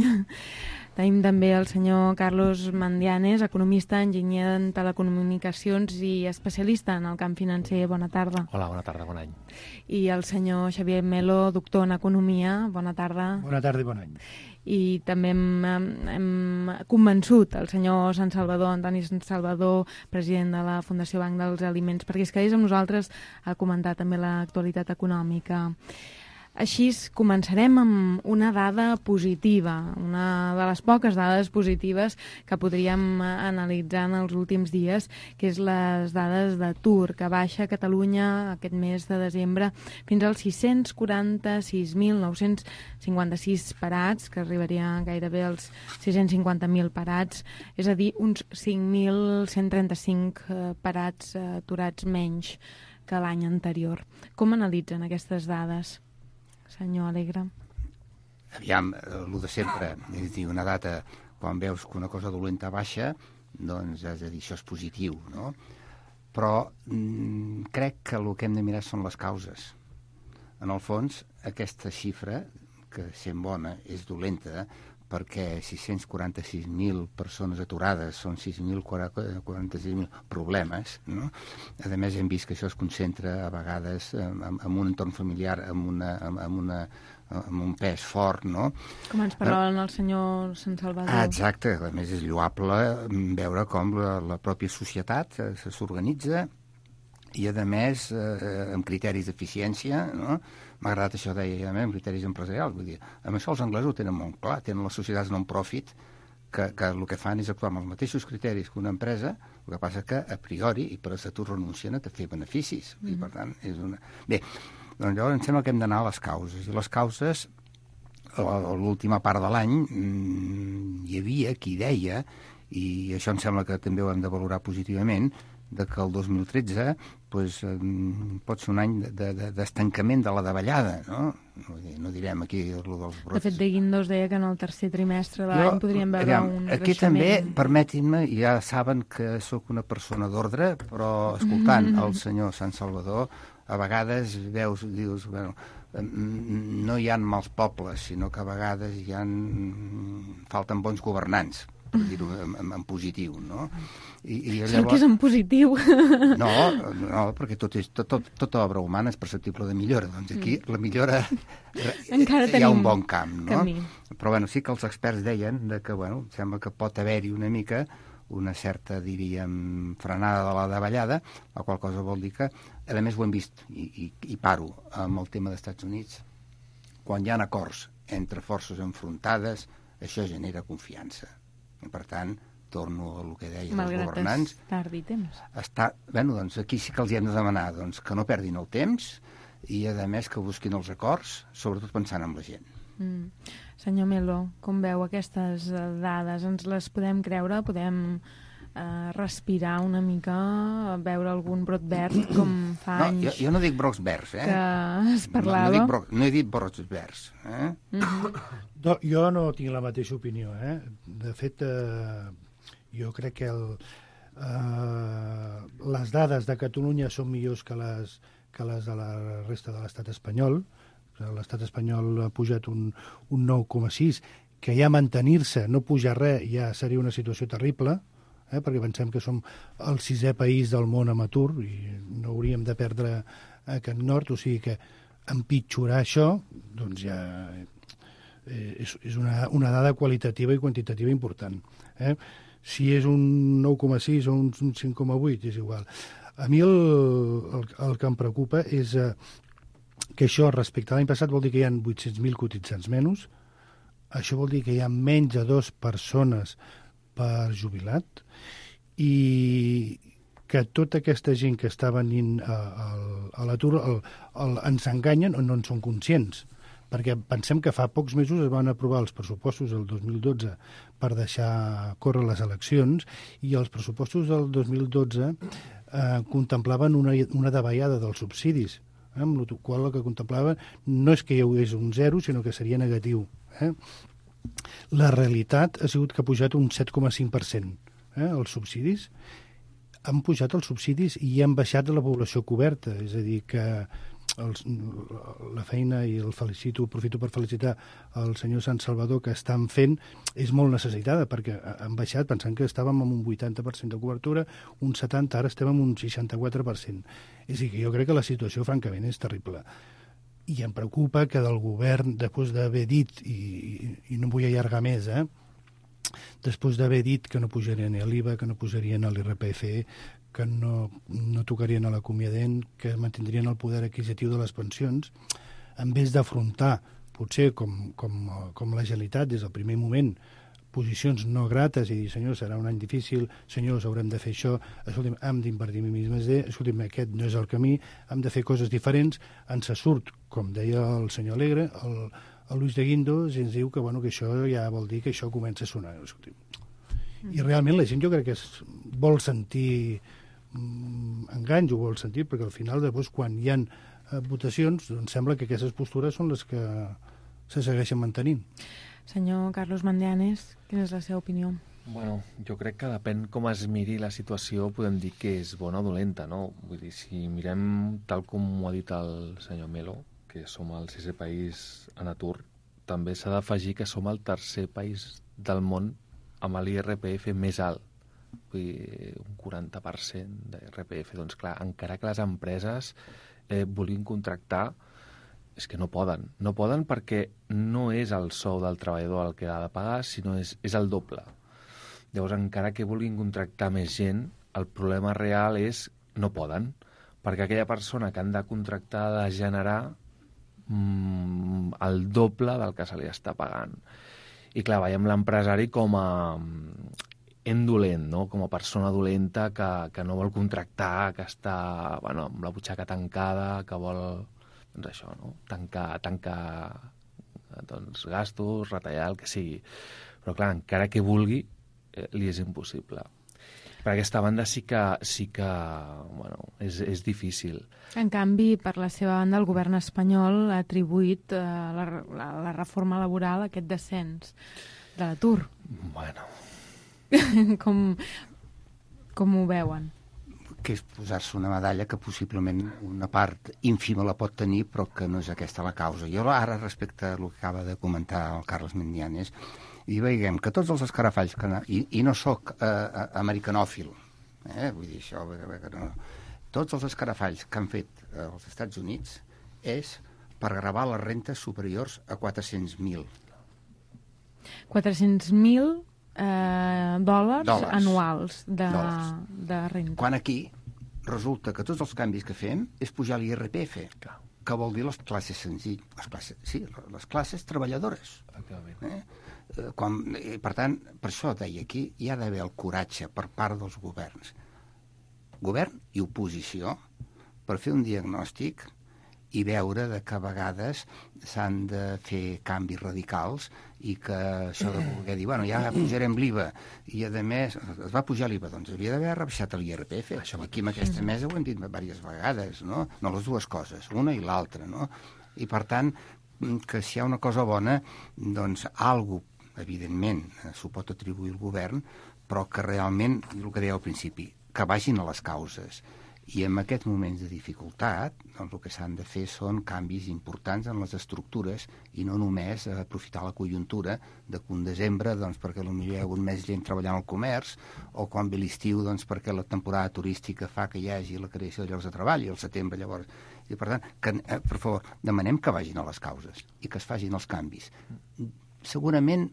Tenim també el senyor Carlos Mandianes, economista, enginyer en telecomunicacions i especialista en el camp financer. Bona tarda. Hola, bona tarda, bon any. I el senyor Xavier Melo, doctor en Economia. Bona tarda. Bona tarda i bon any. I també hem, hem convençut el senyor Sant Salvador, Antoni Sant Salvador, president de la Fundació Banc dels Aliments, perquè es quedés amb nosaltres a comentar també l'actualitat econòmica. Així començarem amb una dada positiva, una de les poques dades positives que podríem analitzar en els últims dies, que és les dades d'atur, que baixa a Catalunya aquest mes de desembre fins als sis-cents quaranta-sis mil nou-cents cinquanta-sis parats, que arribaria gairebé als sis-cents cinquanta mil parats, és a dir, uns cinc mil cent trenta-cinc parats aturats menys que l'any anterior. Com analitzen aquestes dades? Senyor Alegre. Aviam, el de sempre, és a dir, una data, quan veus que una cosa dolenta baixa, doncs has de dir, això és positiu, no? Però mm, crec que el que hem de mirar són les causes. En el fons, aquesta xifra, que sent bona, és dolenta, perquè sis-cents quaranta-sis mil persones aturades són sis mil quaranta-sis mil problemes, no? A més, hem vist que això es concentra a vegades en, en un entorn familiar amb, una, amb, una, amb un pes fort, no? Com ens parlava el senyor Sant Salvador. Ah, exacte. A més, és lloable veure com la, la pròpia societat s'organitza i, a més, eh, amb criteris d'eficiència, no? M'ha agradat això, deia, amb criteris empresarials. Vull dir, amb això els anglesos ho tenen molt clar, tenen les societats non-profit, que, que el que fan és actuar amb els mateixos criteris que una empresa, el que passa que, a priori, i per estatut renuncien a fer beneficis. Mm-hmm. I, per tant, és una... Bé, doncs llavors em sembla que hem d'anar a les causes. I les causes, a l'última part de l'any, hi havia qui deia, i això em sembla que també ho hem de valorar positivament, de que el dos mil tretze pues, eh, pot ser un any d'estancament de, de, de la davallada, no? No, no direm aquí el dels brots. De fet, de Guindos deia que en el tercer trimestre de l'any podríem veure aviam, un aquí creixement. També, permetin-me, ja saben que sóc una persona d'ordre, però escoltant mm-hmm. el senyor Sant Salvador, a vegades veus, dius, bueno, no hi ha mals pobles, sinó que a vegades hi ha... falten bons governants, per dir-ho en, en, en positiu, no? I, i llavors... El que és en positiu. No, no, perquè tot, és, tot, tot, tota obra humana és perceptible de millora. Doncs aquí mm. la millora... Encara hi ha un bon camp, no? Camí. Però bueno, sí que els experts deien de que, bueno, sembla que pot haver-hi una mica una certa, diríem, frenada de la davallada, la qual cosa vol dir que, a més ho hem vist, i, i, i paro amb el tema dels Estats Units, quan hi ha acords entre forces enfrontades, això genera confiança. I, per tant, torno a el que deia Malgrat els governants. Malgrat tardi temps. Està, bueno, doncs aquí sí que els hi hem de demanar doncs, que no perdin el temps i, a més, que busquin els acords, sobretot pensant en la gent. Mm. Senyor Melo, com veu aquestes dades? Ens les podem creure? Podem eh, respirar una mica, veure algun brot verd com fa no, anys? Jo, jo no dic brots verds, eh? Que es parlava. No, no, dic bro, no he dit brots verds, eh? Mm-hmm. No, jo no tinc la mateixa opinió, eh? De fet, eh, jo crec que el, eh, les dades de Catalunya són millors que les que les de la resta de l'estat espanyol. L'estat espanyol ha pujat un, un nou coma sis, que ja mantenir-se, no pujar res, ja seria una situació terrible, eh? Perquè pensem que som el sisè país del món amb atur i no hauríem de perdre aquest nord, o sigui que empitjorar això, doncs ja eh, és, és una, una dada qualitativa i quantitativa important. Eh? Si és un nou coma sis o un cinc coma vuit, és igual. A mi el, el, el que em preocupa és eh, que això respecte a l'any passat vol dir que hi ha vuit-cents mil cotitzants menys, això vol dir que hi ha menys de dues persones per jubilat i que tota aquesta gent que està venint a, a, a l'atur el, el, ens enganyen o no en són conscients, perquè pensem que fa pocs mesos es van aprovar els pressupostos del dos mil dotze per deixar córrer les eleccions i els pressupostos del dos mil dotze eh, contemplaven una, una davallada dels subsidis, eh, amb el qual el que contemplava no és que hi hagués un zero, sinó que seria negatiu. Eh? La realitat ha sigut que ha pujat un set coma cinc per cent eh, els subsidis. Han pujat els subsidis i han baixat la població coberta, és a dir, que els, la feina, i el felicito, aprofito per felicitar el senyor Sant Salvador, que estan fent, és molt necessitada, perquè han baixat, pensant que estàvem amb un vuitanta per cent de cobertura, un setanta, ara estem amb un seixanta-quatre per cent. És a dir, que jo crec que la situació, francament, és terrible. I em preocupa que del govern, després d'haver dit, i, i no vull allargar més, eh, després d'haver dit que no pujarien l'I V A, que no pujarien l'I R P F, que no, no tocarien a l'acomiadent, que mantindrien el poder adquisitiu de les pensions, en vez d'afrontar, potser com, com, com la Generalitat, des del primer moment, posicions no grates i dir, senyors, serà un any difícil, senyors, haurem de fer això, escolti'm, hem d'invertir en més més D, escolti'm, aquest no és el camí, hem de fer coses diferents, ens surt, com deia el senyor Alegre, el, el Luis de Guindos, i ens diu que, bueno, que això ja vol dir que això comença a sonar. Escolti'm. I realment la gent jo crec que es vol sentir mm, enganys, ho vol sentir, perquè al final, després, quan hi ha eh, votacions, doncs sembla que aquestes postures són les que se segueixen mantenint. Senyor Carlos Mandianes, quina és la seva opinió? Bueno, jo crec que depèn com es miri la situació, podem dir que és bona o dolenta, no? Vull dir, si mirem tal com ho ha dit el senyor Melo, que som el sisè país en atur, també s'ha d'afegir que som el tercer país del món amb l'I R P F més alt, vull dir, un quaranta per cent d'I R P F. Doncs clar, encara que les empreses eh, vulguin contractar, és que no poden. No poden perquè no és el sou del treballador el que ha de pagar, sinó és, és el doble. Llavors, encara que vulguin contractar més gent, el problema real és no poden, perquè aquella persona que han de contractar ha de generar mm, el doble del que se li està pagant. I clar, veiem l'empresari com a indolent, no? Com a persona dolenta que, que no vol contractar, que està bueno, amb la butxaca tancada, que vol doncs això, no? tancar, tancar doncs, gastos, retallar el que sigui. Però clar, encara que vulgui, eh, li és impossible. Per aquesta banda sí que, sí que bueno, és, és difícil. En canvi, per la seva banda, el govern espanyol ha atribuït eh, la, la, la reforma laboral a aquest descens de l'atur. Bueno. com, com ho veuen? Que és posar-se una medalla que possiblement una part ínfima la pot tenir, però que no és aquesta la causa. Jo ara, respecte a el que acaba de comentar el Carles Mandianes, i veiem que tots els escarafalls, que no, i, i no sóc eh, americanòfil, eh, vull dir això, que no, tots els escarafalls que han fet als Estats Units és per gravar les rentes superiors a quatre-cents mil. quatre-cents mil eh, dòlars, dòlars anuals de, dòlars. de renta. Quan aquí resulta que tots els canvis que fem és pujar l'I R P F, que vol dir les classes senzilles, les classes, sí, les classes treballadores. Eh? Quan, per tant, per això deia aquí, hi ha d'haver el coratge per part dels governs, govern i oposició, per fer un diagnòstic i veure de que a vegades s'han de fer canvis radicals i que això de voler dir, bueno, ja pujarem l'I V A, i a més es va pujar l'I V A, doncs havia d'haver rebaixat l'I R P F. Això aquí en aquesta mesa ho hem dit diverses vegades, no? No les dues coses, una i l'altra, no? I per tant, que si hi ha una cosa bona, doncs algú, evidentment, s'ho pot atribuir al govern, però que realment, el que deia al principi, que vagin a les causes I en aquests moments de dificultat, doncs, el que s'han de fer són canvis importants en les estructures i no només aprofitar la conjuntura de que un desembre, doncs, perquè potser hi ha hagut més gent treballant al comerç, o quan ve l'estiu, doncs, perquè la temporada turística fa que hi hagi la creació de llocs de treball, i al setembre llavors... I, per tant, que, eh, per favor, demanem que vagin a les causes i que es facin els canvis. Segurament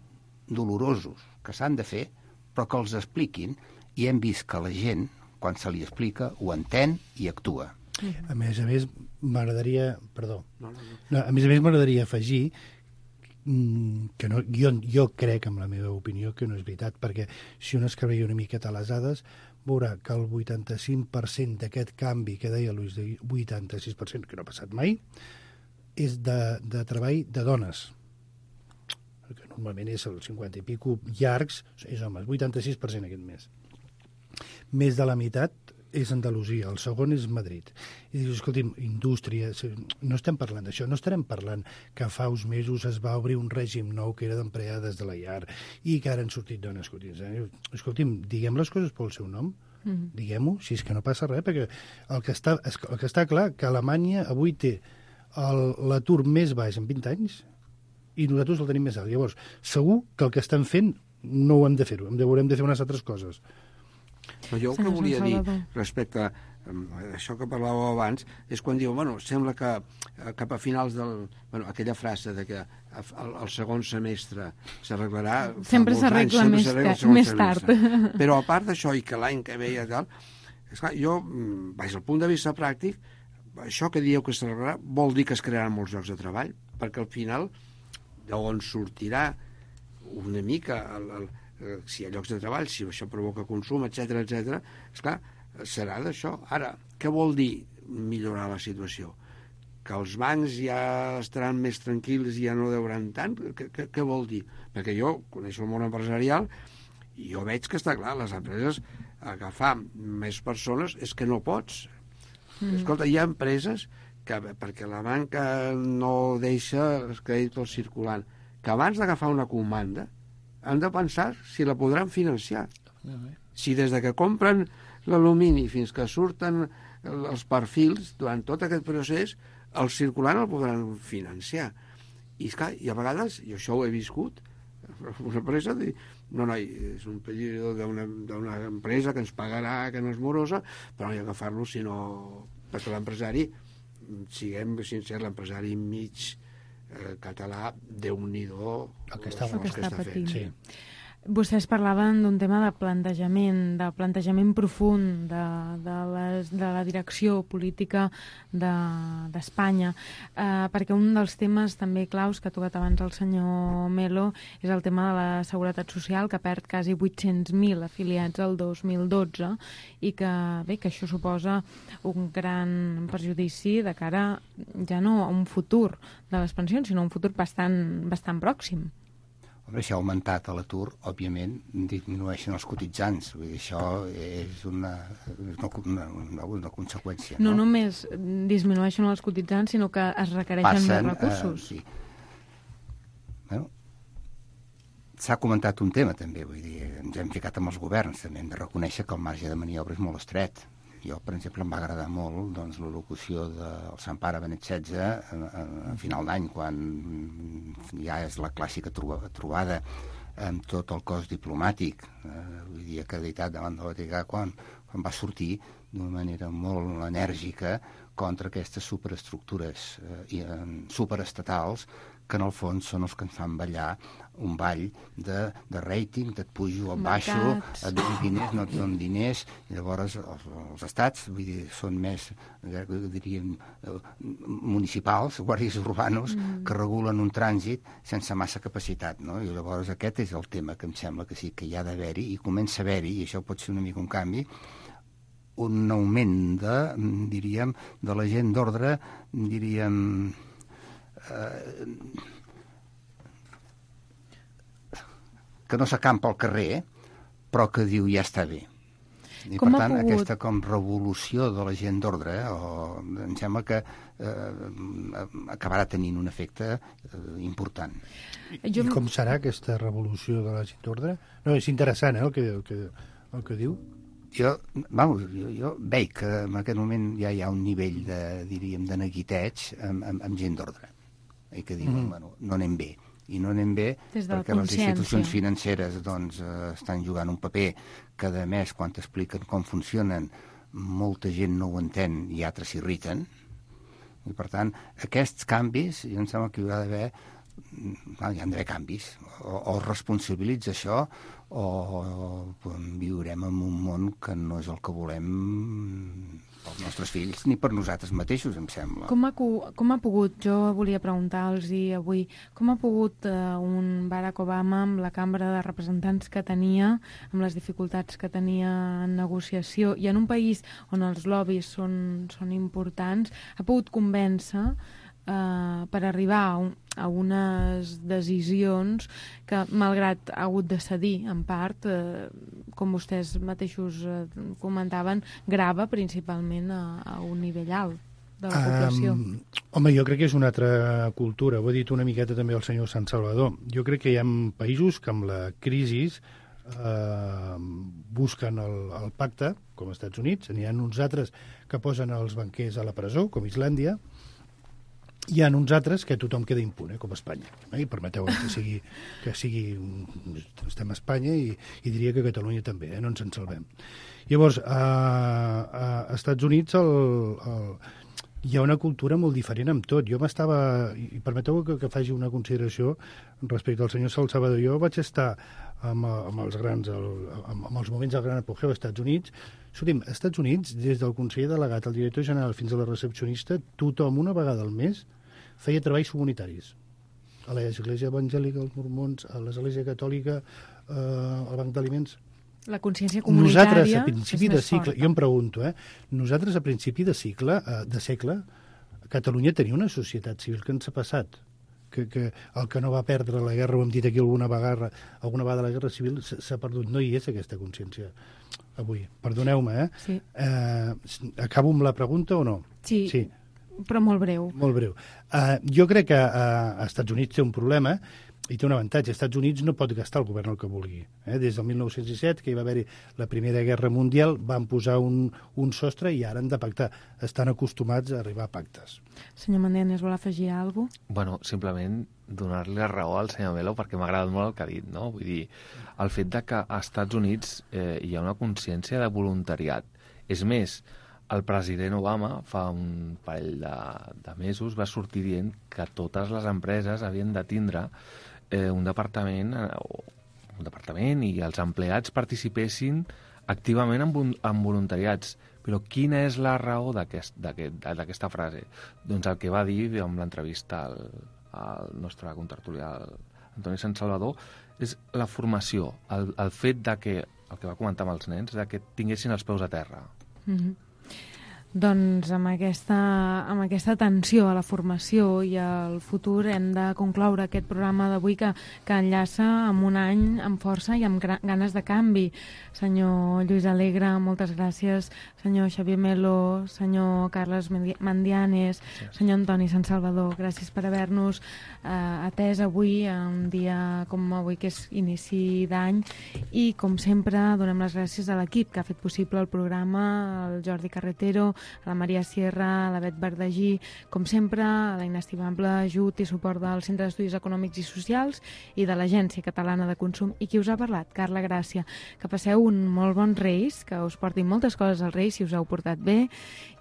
dolorosos, que s'han de fer, però que els expliquin, i hem vist que la gent, quan se li explica, ho entén i actua. A més a més, m'agradaria... Perdó. No, no, no. No, a més a més, m'agradaria afegir que no, jo, jo crec, amb la meva opinió, que no és veritat, perquè si un es creia una miqueta a les dades, veurà que el vuitanta-cinc per cent d'aquest canvi que deia Luis, de vuitanta-sis per cent, que no ha passat mai, és de, de treball de dones. Perquè normalment és el cinquanta i pico llargs, és homes, vuitanta-sis per cent aquest mes. Més de la meitat és Andalusia, el segon és Madrid. I dius, escolti'm, indústria, no estem parlant d'això, no estarem parlant que fa uns mesos es va obrir un règim nou que era d'empleades de la llar i que ara han sortit dones. Escolti'm, escolti'm diguem les coses pel seu nom, mm-hmm. diguem-ho, si és que no passa res, perquè el que està, el que està clar que Alemanya avui té l'atur més baix en vint anys i nosaltres el tenim més alt. Llavors, segur que el que estan fent no ho hem de fer-ho, haurem de fer unes altres coses. Però jo el que volia dir respecte a això que parlàveu abans és quan diu, bueno, sembla que cap a finals del... Bueno, aquella frase de que el, el segon semestre s'arreglarà... Sempre s'arregla més, més tard. Però a part d'això, i que l'any que ve i tal, esclar, jo, vaig al punt de vista pràctic, això que dieu que s'arreglarà vol dir que es crearan molts llocs de treball, perquè al final d'on sortirà una mica el, el si hi ha llocs de treball, si això provoca consum, etcètera, etcètera, esclar, serà d'això. Ara, què vol dir millorar la situació? Que els bancs ja estaran més tranquils i ja no deuran tant? Què, què, què vol dir? Perquè jo coneixo el món empresarial i jo veig que està clar, les empreses agafar més persones és que no pots. Mm. Escolta, hi ha empreses que, perquè la banca no deixa els crèdits circulant, que abans d'agafar una comanda han de pensar si la podran financiar. Si des de que compren l'alumini fins que surten els perfils, durant tot aquest procés, el circulant el podran financiar. I, esclar, i a vegades, i això ho he viscut, una empresa diu, no, no, és un període d'una empresa que ens pagarà, que no és morosa, però no hi ha que agafar-lo, sinó perquè l'empresari, siguem sincers, l'empresari mig Eh, català, Déu-n'hi-do el que està, el que està patint. Sí. Vostès parlaven d'un tema de plantejament, de plantejament profund de, de, les, de la direcció política d'Espanya, de, eh, perquè un dels temes també claus que ha tocat abans el senyor Melo és el tema de la seguretat social, que perd quasi vuit-cents mil afiliats el dos mil dotze i que, bé, que això suposa un gran perjudici de cara ja no a un futur de les pensions, sinó a un futur bastant, bastant pròxim. Home, si ha augmentat l'atur, òbviament, disminueixen els cotitzants. Vull dir, això és una, una, una, una conseqüència. No, no només disminueixen els cotitzants, sinó que es requereixen Passen, més recursos. Eh, sí. Bueno, s'ha comentat un tema, també. Vull dir, ens hem ficat amb els governs. També hem de reconèixer que el marge de maniobra és molt estret. Jo, per exemple, em va agradar molt doncs, la locució del Sant Pare Benet setze a, a, a final d'any, quan ja és la clàssica trobada amb tot el cos diplomàtic, eh, vull dir, acreditat davant de la Vaticà, quan, quan va sortir d'una manera molt enèrgica contra aquestes superestructures eh, superestatals que en el fons són els que ens fan ballar un ball de, de rating, de et pujo, et baixo, et dono diners, no et dono diners, i llavors els, els estats, vull dir, són més, diríem, municipals, guàrdies urbanos, mm. que regulen un trànsit sense massa capacitat, no? I llavors aquest és el tema que em sembla que sí que hi ha d'haver-hi, i comença a haver-hi, i això pot ser una mica un canvi, un augment de, diríem, de la gent d'ordre, diríem, eh, que no s'acampa al carrer, però que diu ja està bé. I com per tant, pogut... aquesta com revolució de la gent d'ordre, eh, o, em sembla que eh, acabarà tenint un efecte eh, important. Jo... I com serà aquesta revolució de la gent d'ordre? No, és interessant, eh, el que, el que, el que diu. jo, vamos, jo, jo veig que en aquest moment ja hi ha un nivell de, diríem, de neguiteig amb, amb, amb gent d'ordre. I que diuen, mm. bueno, no anem bé. I no anem bé perquè les institucions financeres doncs, eh, estan jugant un paper que, a més, quan t'expliquen com funcionen, molta gent no ho entén i altres s'irriten. I, per tant, aquests canvis, jo em sembla que hi ha d'haver, hi ha d'haver canvis. O, o responsabilitza això o, o viurem en un món que no és el que volem pels nostres fills ni per nosaltres mateixos, em sembla. Com ha, com ha pogut, jo volia preguntar-los avui, com ha pogut eh, un Barack Obama amb la Cambra de Representants que tenia, amb les dificultats que tenia en negociació, i en un país on els lobbies són, són importants, ha pogut convèncer Uh, per arribar a, un, a unes decisions que, malgrat ha hagut de cedir, en part, uh, com vostès mateixos uh, comentaven, grava principalment a, a un nivell alt de la població. Um, home, jo crec que és una altra cultura. Ho ha dit una miqueta també el senyor Sant Salvador. Jo crec que hi ha països que amb la crisi uh, busquen el, el pacte, com als Estats Units. N'hi ha uns altres que posen els banquers a la presó, com Islàndia. Hi ha uns altres que tothom queda impune, com Espanya. Eh? I permeteu que sigui, que sigui... Estem a Espanya i, i diria que a Catalunya també, eh? No ens en salvem. Llavors, a, a Estats Units el, el, hi ha una cultura molt diferent amb tot. Jo m'estava... I permeteu que, que faci una consideració respecte al senyor Salvador. Jo vaig estar amb, amb els grans, el, amb, amb els moments del gran apogeu als Estats Units. Escolti'm, als Estats Units, des del conseller delegat al director general fins a la recepcionista, tothom una vegada al mes feia treballs comunitaris. A l'Església Evangèlica, als Mormons, a l'Església Catòlica, eh, al Banc d'Aliments. La consciència comunitària nosaltres, a principi de cicle, forta. Jo em pregunto, eh, nosaltres a principi de cicle, eh, de segle, a Catalunya tenia una societat civil que ens ha passat. Que, que el que no va perdre la guerra, ho hem dit aquí alguna vegada, alguna vegada la guerra civil s'ha perdut. No hi és aquesta consciència avui. Perdoneu-me, eh? Sí. eh? Acabo amb la pregunta o no? Sí. Sí. Però molt breu. Molt breu. Uh, jo crec que uh, als Estats Units té un problema i té un avantatge. Als Estats Units no pot gastar el govern el que vulgui. Eh? Des del mil nou-cents disset, que hi va haver-hi la Primera Guerra Mundial, van posar un, un sostre i ara han de pactar. Estan acostumats a arribar a pactes. Senyor Mandianes, vol afegir alguna cosa? Bueno, simplement donar-li la raó al senyor Melo perquè m'ha agradat molt el que ha dit, no? Vull dir, el fet de que als Estats Units eh, hi ha una consciència de voluntariat. És més, el president Obama fa un parell de, de mesos va sortir dient que totes les empreses havien de tindre eh, un departament eh, un departament i els empleats participessin activament en, en voluntariats. Però quina és la raó d'aquesta aquest, frase? Doncs el que va dir amb l'entrevista al, al nostre contertulià, Antoni Sant Salvador, és la formació, el, el fet de que, el que va comentar amb els nens, de que tinguessin els peus a terra. Mm-hmm. Doncs amb aquesta, amb aquesta atenció a la formació i al futur hem de concloure aquest programa d'avui que, que enllaça amb un any amb força i amb ganes de canvi. Senyor Lluís Alegre, moltes gràcies. Senyor Xavier Melo, senyor Carles Mandianes, gràcies. Senyor Antoni Sant Salvador, gràcies per haver-nos eh, atès avui, un dia com avui que és inici d'any, i com sempre donem les gràcies a l'equip que ha fet possible el programa, el Jordi Carretero, a la Maria Sierra, a la Bet Verdagí, com sempre, a la inestimable ajut i suport del Centre d'Estudis Econòmics i Socials i de l'Agència Catalana de Consum, i qui us ha parlat, Carla Gràcia. Que passeu un molt bon Reis, que us portin moltes coses als Reis si us heu portat bé,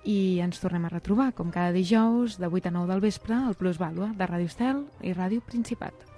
i ens tornem a retrobar, com cada dijous, de vuit a nou del vespre, al Plus Vàlua, de Ràdio Estel i Ràdio Principat.